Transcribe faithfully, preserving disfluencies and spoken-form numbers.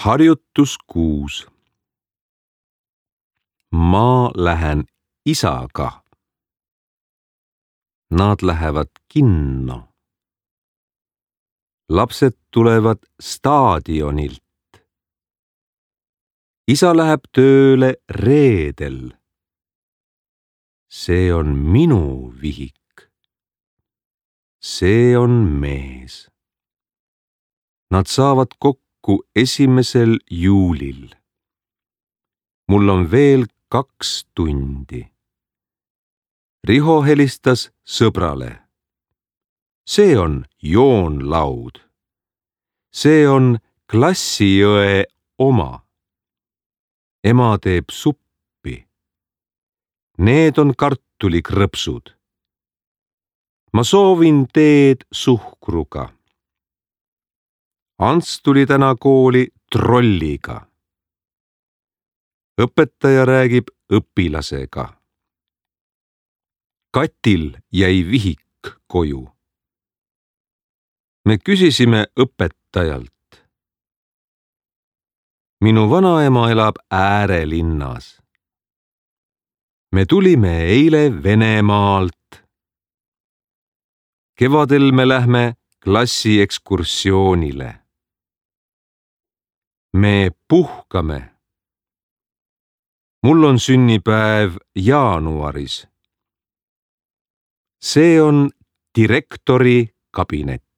Harjutus kuus. Ma lähen isaga. Nad lähevad kinno. Lapsed tulevad staadionilt. Isa läheb tööle reedel. See on minu vihik. See on mees. Nad saavad kokku esimesel juulil. Mul on veel kaks tundi. Riho helistas sõbrale. See on joonlaud. See on klassiõe oma. Ema teeb suppi. Need on kartulikrõpsud. Ma soovin teed suhkruga. Ants tuli täna kooli trolliga. Õpetaja räägib õpilasega. Katil jäi vihik koju. Me küsisime õpetajalt. Minu vanaema elab äärelinnas. Me tulime eile Venemaalt. Kevadel me lähme klassiekskursioonile. Me puhkame. Mul on sünnipäev jaanuaris. See on direktori kabinet.